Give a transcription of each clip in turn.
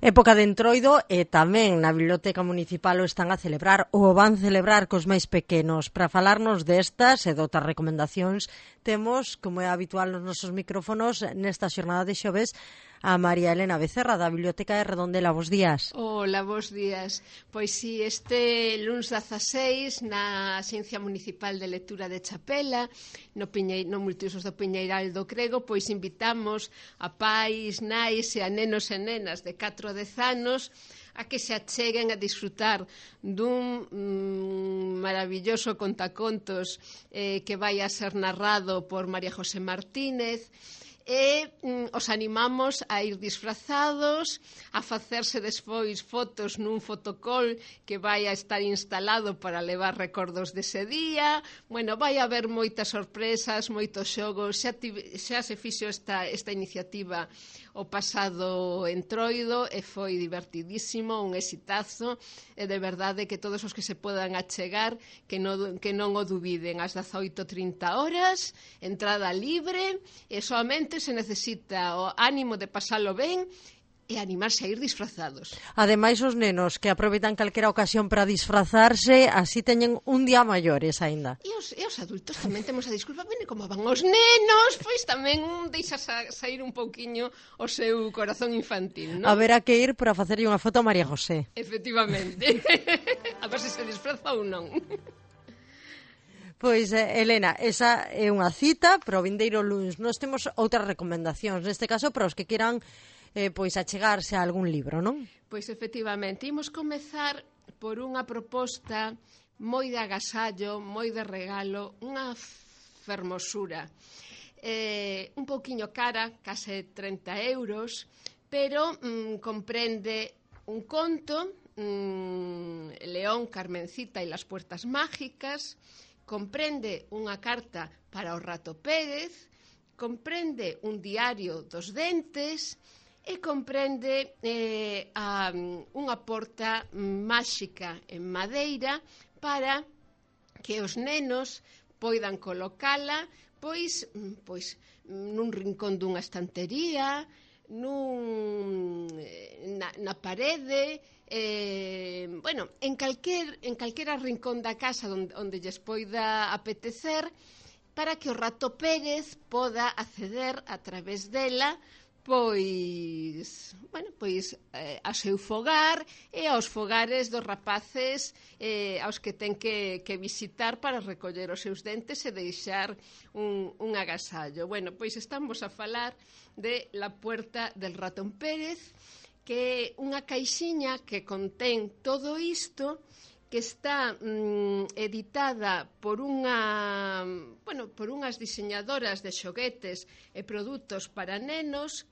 Época de Entroido e tamén na Biblioteca Municipal o están a celebrar ou van celebrar cos máis pequenos. Para falarnos destas e de outras recomendacións temos, como é habitual nos nosos micrófonos, nesta xornada de xoves, a María Elena Becerra da Biblioteca de Redondela. Bos días. Hola, bos días. Pois si, este luns 16 na Axencia Municipal de Lectura de Chapela, no Multiusos do Piñeiral do Crego, pois invitamos a pais, nais e a nenos e nenas de 4 a 10 anos a que se acheguen a disfrutar dun maravilloso contacontos que vai a ser narrado por María José Martínez, e os animamos a ir disfrazados, a facerse despois fotos nun fotocall que vai a estar instalado para levar recordos dese día. Bueno, vai haber moitas sorpresas, moitos xogos. Xa se fixo esta iniciativa o pasado Entroido e foi divertidísimo, un exitazo, e de verdade que todos os que se podan achegar que non o dubiden. Ás 18:30 horas, entrada libre, e soamente se necesita o ánimo de pasalo ben e animarse a ir disfrazados. Ademais, os nenos que aproveitan calquera ocasión para disfrazarse, así teñen un día maiores aínda. E os adultos tamén temos a disculpa, bene, como van os nenos, pois tamén deixa sair un pouquiño o seu corazón infantil, non? Haberá que ir para facerlle unha foto a María José. Efectivamente. A ver se disfraza ou non. Pois, Elena, esa é unha cita para o vindeiro luns. Nós temos outras recomendacións, neste caso para os que queran pois achegarse a algún libro, non? Pois efectivamente, imos comezar por unha proposta moi de agasallo, moi de regalo, unha fermosura. Un pouquiño cara, case 30 euros, pero comprende un conto, León, Carmencita e las puertas mágicas, comprende unha carta para o Rato Pérez, comprende un diario dos dentes e comprende unha porta máxica en madeira para que os nenos poidan colocala pois nun rincón dunha estantería, na parede, en calquera rincón da casa onde lles poida apetecer, para que o Rato Pérez poda acceder a través dela ao seu fogar e aos fogares dos rapaces aos que ten que visitar para recoller os seus dentes e deixar un agasallo. Bueno, pois estamos a falar de La Puerta del Ratón Pérez, que é unha caixiña que contén todo isto, que está editada por unhas diseñadoras de xoguetes e produtos para nenos.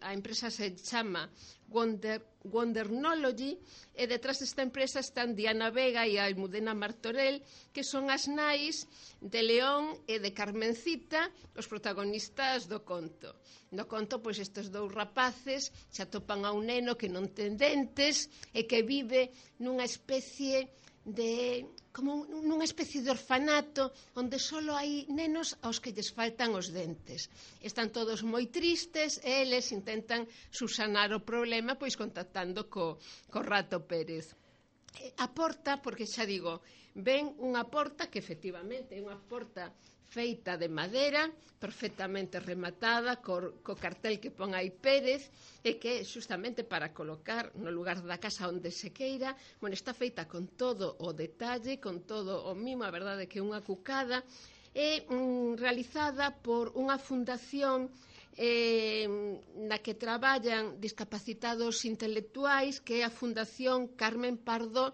A empresa se chama Wondernology, e detrás desta empresa están Diana Vega e Almudena Martorell, que son as nais de León e de Carmencita, os protagonistas do conto. No conto, pois, estes dous rapaces se atopan a un neno que non ten dentes e que vive nunha especie de orfanato onde só hai nenos aos que lles faltan os dentes. Están todos moi tristes e eles intentan subsanar o problema pois contactando co Rato Pérez. A porta, porque xa digo, ven unha porta que efectivamente é unha porta feita de madeira, perfectamente rematada, co cartel que pon aí Pérez, e que justamente para colocar no lugar da casa onde se queira. Bueno, está feita con todo o detalle, con todo o mimo, a verdade que é unha cucada, e realizada por unha fundación na que traballan discapacitados intelectuais, que é a Fundación Carmen Pardo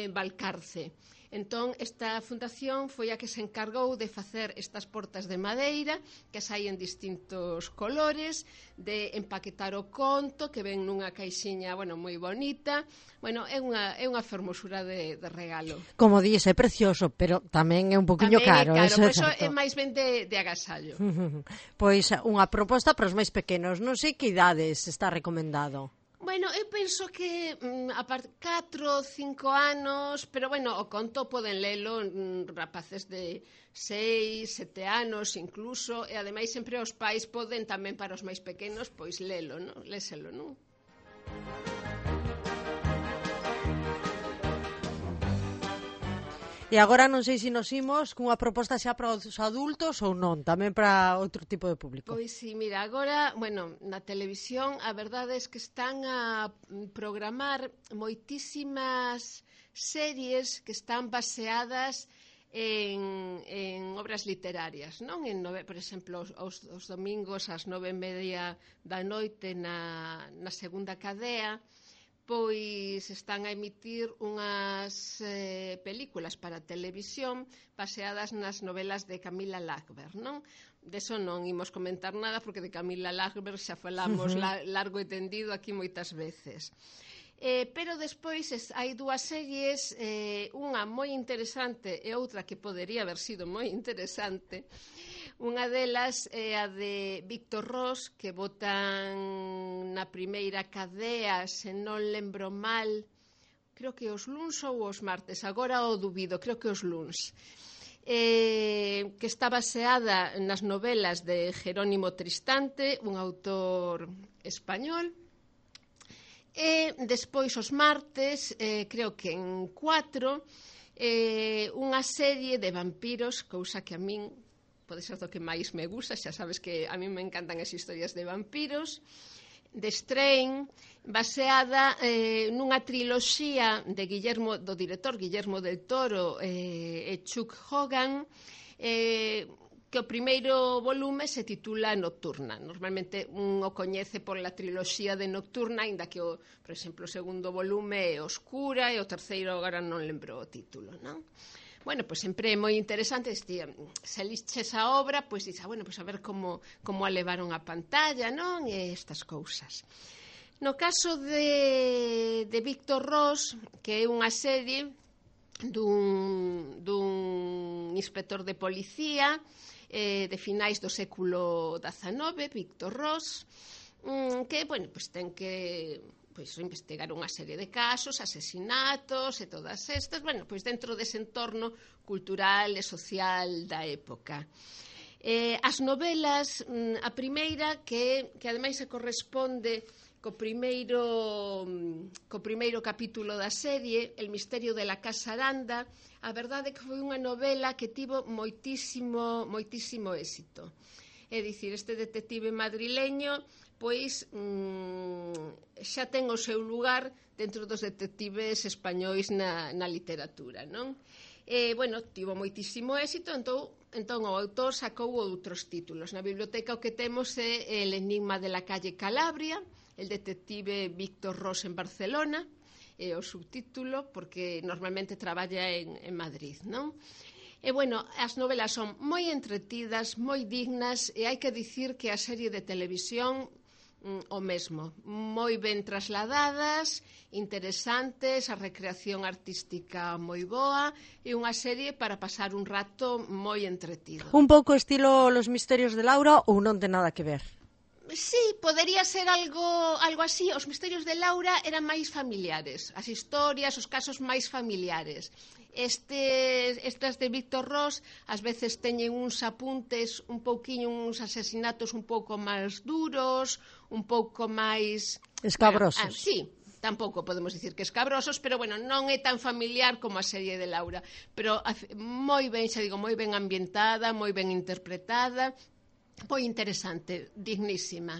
Valcarce. Entón, esta fundación foi a que se encargou de facer estas portas de madeira, que as hai en distintos colores, de empaquetar o conto, que ven nunha caixiña, moi bonita. É unha fermosura de regalo. Como dís, é precioso, pero tamén é un poquinho caro. Tamén é caro, por iso é máis ben de agasallo. Pois unha proposta para os máis pequenos. Non sei que idades está recomendado. Eu penso que a 4 ou 5 anos, pero o conto poden lelo rapaces de 6, 7 anos incluso, e ademais sempre os pais poden tamén para os máis pequenos pois lelo, non? Léselo, non? E agora non sei se nos imos cunha proposta xa para os adultos ou non, tamén para outro tipo de público. Pois sí, mira, agora, bueno, na televisión a verdade é que están a programar moitísimas series que están baseadas en obras literarias, non? Por exemplo, os domingos ás 9:30 da noite na segunda cadea, pois están a emitir unhas películas para televisión baseadas nas novelas de Camila Lagerberg, non? Deso non imos comentar nada porque de Camila Lagerberg xa falamos largo e tendido aquí moitas veces. Pero despois hai dúas series, unha moi interesante e outra que podería haber sido moi interesante. Unha delas é a de Víctor Ros, que botan na primeira cadea, se non lembro mal, creo que os luns ou os martes, agora o dubido, creo que os luns, que está baseada nas novelas de Jerónimo Tristante, un autor español. E despois os martes, creo que en 4, unha serie de vampiros, cousa que a min pode ser do que máis me gusta, xa sabes que a mí me encantan as historias de vampiros, de Strain, baseada nunha triloxía do director Guillermo del Toro e Chuck Hogan, que o primeiro volume se titula Nocturna. Normalmente un o coñece por la triloxía de Nocturna, aínda que, por exemplo, o segundo volume é Oscura e o terceiro agora non lembro o título, non? Bueno, pois sempre é moi interesante, se liches a obra, pois dices, bueno, pois a ver como a levaron a pantalla, non? E estas cousas. No caso de Víctor Ros, que é unha serie dun inspector de policía de finais do século XIX, Víctor Ros, que, bueno, pois ten que investigar unha serie de casos, asesinatos e todas estas, bueno, pois dentro dese entorno cultural e social da época. As novelas, a primeira, que ademais se corresponde co primeiro capítulo da serie, El misterio de la Casa Aranda, a verdade é que foi unha novela que tivo moitísimo éxito. É dicir, este detective madrileño pois xa ten o seu lugar dentro dos detectives españois na literatura, non? Bueno, tivo moitísimo éxito, entón o autor sacou outros títulos. Na biblioteca o que temos é El enigma de la calle Calabria, el detective Víctor Ros en Barcelona, é o subtítulo, porque normalmente traballa en Madrid, non? E, bueno, as novelas son moi entretidas, moi dignas, e hai que dicir que a serie de televisión o mesmo, moi ben trasladadas, interesantes, a recreación artística moi boa e unha serie para pasar un rato moi entretido. Un pouco estilo Los misterios de Laura ou non ten nada que ver? Sí, podería ser algo así. Os misterios de Laura eran máis familiares, as historias, os casos máis familiares. Estas de Víctor Ros ás veces teñen uns apuntes un pouquiño, uns asesinatos un pouco máis duros, un pouco máis escabrosos. Sí, tampouco podemos dicir que escabrosos, pero bueno, non é tan familiar como a serie de Laura, pero moi ben, xa digo, moi ben ambientada, moi ben interpretada, moi interesante, dignísima.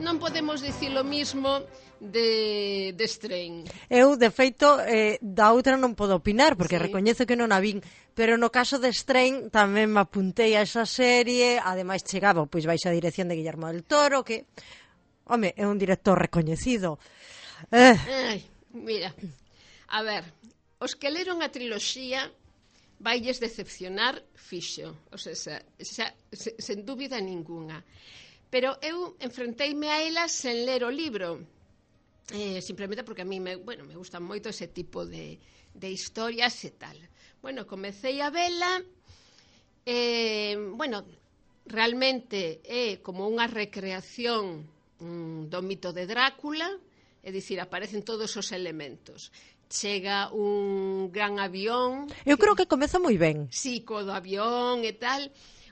Non podemos dicir o mismo de Strain. Eu, de feito, da outra non podo opinar, porque sí, recoñezo que non a vin, pero no caso de Strain tamén me apuntei a esa serie, ademais chegaba pois baixo a dirección de Guillermo del Toro, que, home, é un director recoñecido. Ai, mira, a ver, os que leron a triloxía vailles decepcionar fixo, o sea, sen dúbida ninguna. Pero eu enfrenteime a elas sen ler o libro, simplemente porque a mí me gustan moito ese tipo de historias e tal. Bueno, comecei a vela, realmente é como unha recreación do mito de Drácula, é dicir, aparecen todos os elementos. Chega un gran avión. Eu creo que comeza moi ben. Sí, co do avión e tal,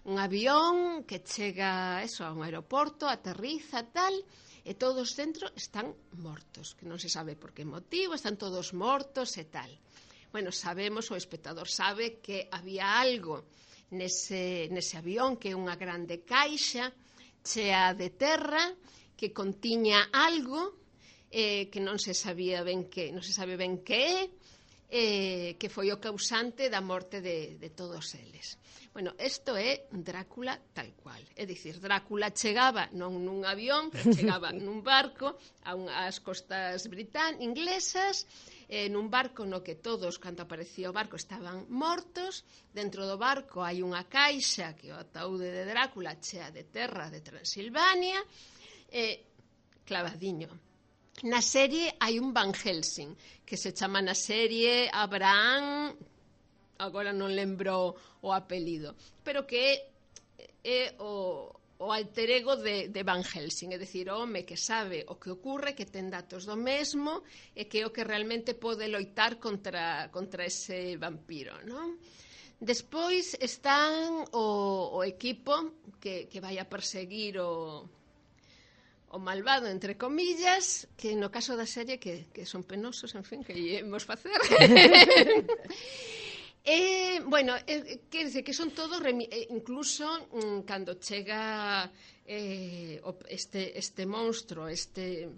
un avión que chega eso, a un aeroporto, aterriza, tal, e todos dentro están mortos, que non se sabe por que motivo, están todos mortos e tal. Bueno, sabemos, o espectador sabe que había algo nese avión, que é unha grande caixa chea de terra, que contiña algo que non se sabía ben que, non se sabe ben que é, que foi o causante da morte de todos eles. Bueno, isto é Drácula tal cual. É dicir, Drácula chegaba non nun avión, pero chegaba nun barco ás costas inglesas, nun barco no que todos, cando aparecía o barco, estaban mortos. Dentro do barco hai unha caixa, que é o ataúde de Drácula, chea de terra de Transilvania, clavadiño. Na serie hai un Van Helsing, que se chama na serie Abraham, agora non lembro o apelido, pero que é o alter ego de Van Helsing, é dicir, o home que sabe o que ocorre, que ten datos do mesmo, e que é o que realmente pode loitar contra ese vampiro, non? Despois están o equipo que vai a perseguir o malvado, entre comillas, que no caso da serie que son penosos, en fin, que íamos facer. Bueno, quer dizer que son todos, incluso cando chega este monstro, este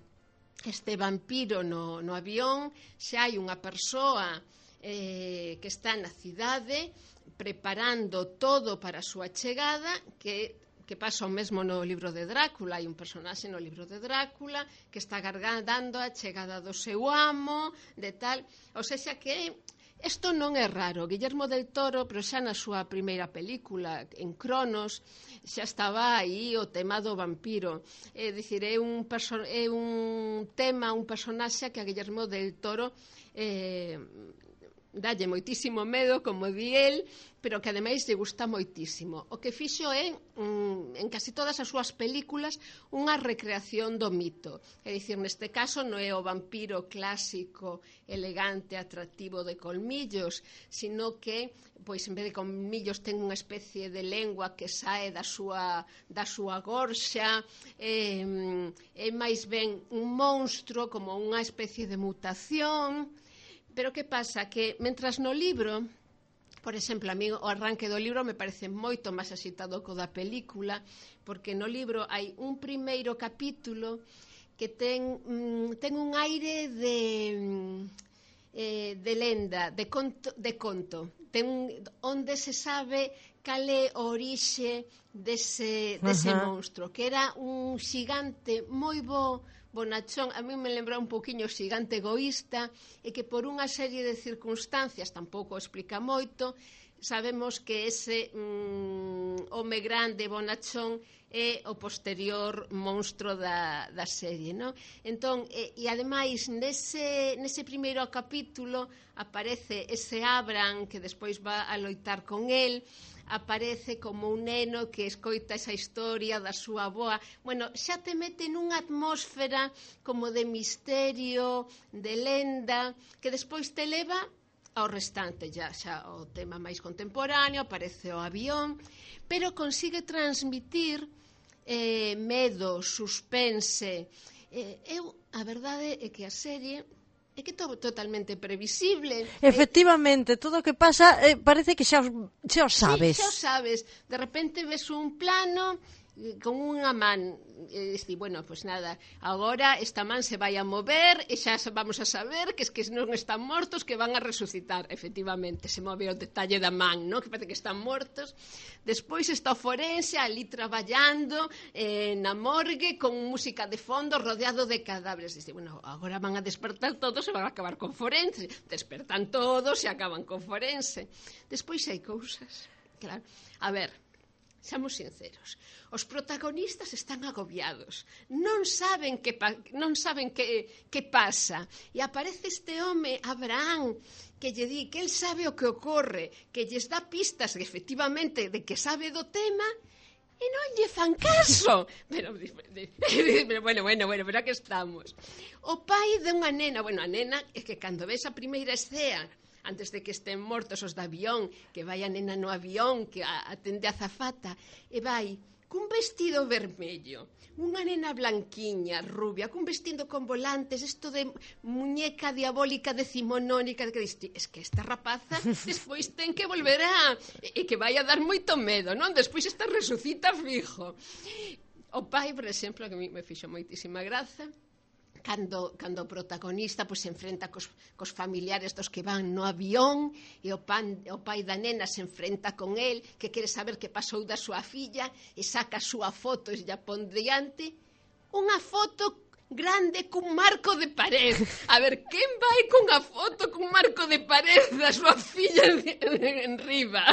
vampiro no avión, xa hai unha persoa que está na cidade preparando todo para a súa chegada, que pasa o mesmo no libro de Drácula. Hai un personaxe no libro de Drácula que está agardando a chegada do seu amo, de tal. O sea que isto non é raro. Guillermo del Toro, pero xa na súa primeira película, en Cronos, xa estaba aí o tema do vampiro. É dicir, é un tema, un personaxe que a Guillermo del Toro dalle moitísimo medo, como di el, pero que ademais lle gusta moitísimo. O que fixo é, en casi todas as súas películas, unha recreación do mito. É dicir, neste caso non é o vampiro clásico, elegante, atractivo de colmillos, sino que, pois, en vez de colmillos, ten unha especie de lengua que sae da súa gorxa, é máis ben un monstro, como unha especie de mutación. Pero que pasa? Que, mentras no libro, por exemplo, a mí o arranque do libro me parece moito máis axitado co da película, porque no libro hai un primeiro capítulo que ten un aire de lenda, de conto. Onde se sabe cal é o orixe dese monstro, que era un xigante moi bonachón. A mí me lembra un poquinho o xigante egoísta, e que por unha serie de circunstancias, tampouco explica moito, sabemos que ese home grande bonachón é o posterior monstro da serie, non? Entón, e ademais nese primeiro capítulo aparece ese Abraham que despois va a loitar con el, aparece como un neno que escoita esa historia da súa avoa. Bueno, xa te mete nunha atmósfera como de misterio, de lenda, que despois te leva ao restante, xa o tema máis contemporáneo, aparece o avión, pero consigue transmitir medo, suspense. A verdade é que a serie é que todo totalmente previsible. Efectivamente, todo o que pasa parece que xa o sabes. Sí, xa o sabes. De repente ves un plano con unha man, bueno, pues nada, agora esta man se vai a mover e xa vamos a saber que non están mortos, que van a resucitar. Efectivamente, se move o detalle da man, ¿no? Que parece que están mortos. Despois está o forense ali traballando na morgue con música de fondo rodeado de cadáveres. Dice, bueno, agora van a despertar todos e van a acabar con forense. Despertan todos e acaban con forense. Despois hai cousas, claro. A ver, seamos sinceros, os protagonistas están agobiados, non saben que pasa, e aparece este home, Abraham, que lle di que el sabe o que ocorre, que lles dá pistas efectivamente de que sabe do tema, e non lle fan caso. Pero bueno, pero aquí estamos. O pai de unha nena, a nena é que cando ves a primeira escena antes de que estén mortos os de avión, que vai a nena no avión, que atende a azafata, e vai cun vestido vermello, unha nena blanquiña, rubia, cun vestido con volantes, isto de muñeca diabólica decimonónica, que diste, es que esta rapaza despois ten que volver e que vai a dar moito medo, non? Despois esta resucita fijo. O pai, por exemplo, que a mí me fixo moitísima graza, cando o protagonista pois, se enfrenta cos familiares dos que van no avión e o pai da nena se enfrenta con el, que quere saber que pasou da súa filla e saca a súa foto e lla pon diante unha foto grande cun marco de pared. A ver, quen vai cunha foto cun marco de pared da súa filla en riba?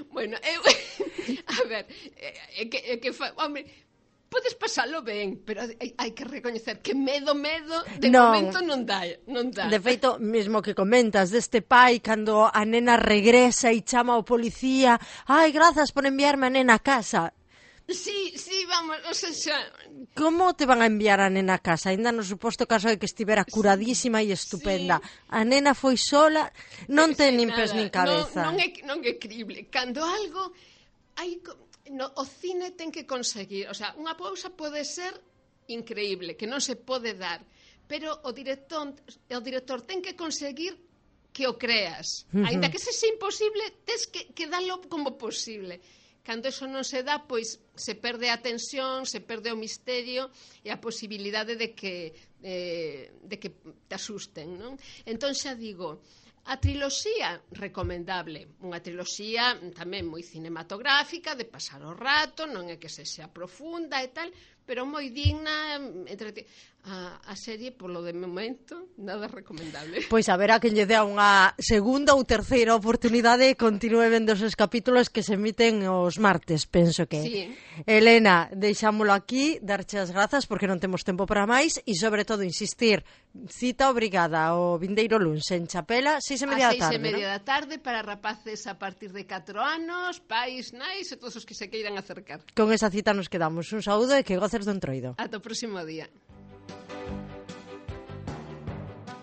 Bueno, a ver, hombre, podes pasalo ben, pero hai que recoñecer que medo, de momento non dá. De feito, mesmo que comentas deste pai, cando a nena regresa e chama ao policía, ai, grazas por enviarme a nena a casa. Sí, vamos, o sea... Como te van a enviar a nena a casa? Ainda no suposto caso de que estivera curadísima e estupenda. Sí. A nena foi sola, non ten nin pés nin cabeza. Non é crible. Cando algo... o cine ten que conseguir, o sea, unha pausa pode ser increíble, que non se pode dar, pero o director ten que conseguir que o creas. Ainda que sexa imposible, tes que dalo como posible. Cando eso non se dá, pois se perde a tensión, se perde o misterio e a posibilidade de que te asusten, non? Entón xa digo, a triloxía, recomendable. Unha triloxía tamén moi cinematográfica, de pasar o rato, non é que se xa profunda e tal, pero moi digna, a serie, polo de momento, nada recomendable. Pois a verá que lle dea unha segunda ou terceira oportunidade e continúe vendo esos capítulos que se emiten os martes, penso que. Sí. Elena, deixámolo aquí, darche as grazas porque non temos tempo para máis e, sobre todo, insistir, cita obrigada o vindeiro luns en Chapela, 6:30 da tarde. 6:30 da tarde para rapaces a partir de 4 anos, pais, nais e todos os que se queiran acercar. Con esa cita nos quedamos. Un saúdo e que goces do Entroido. Ata o próximo día.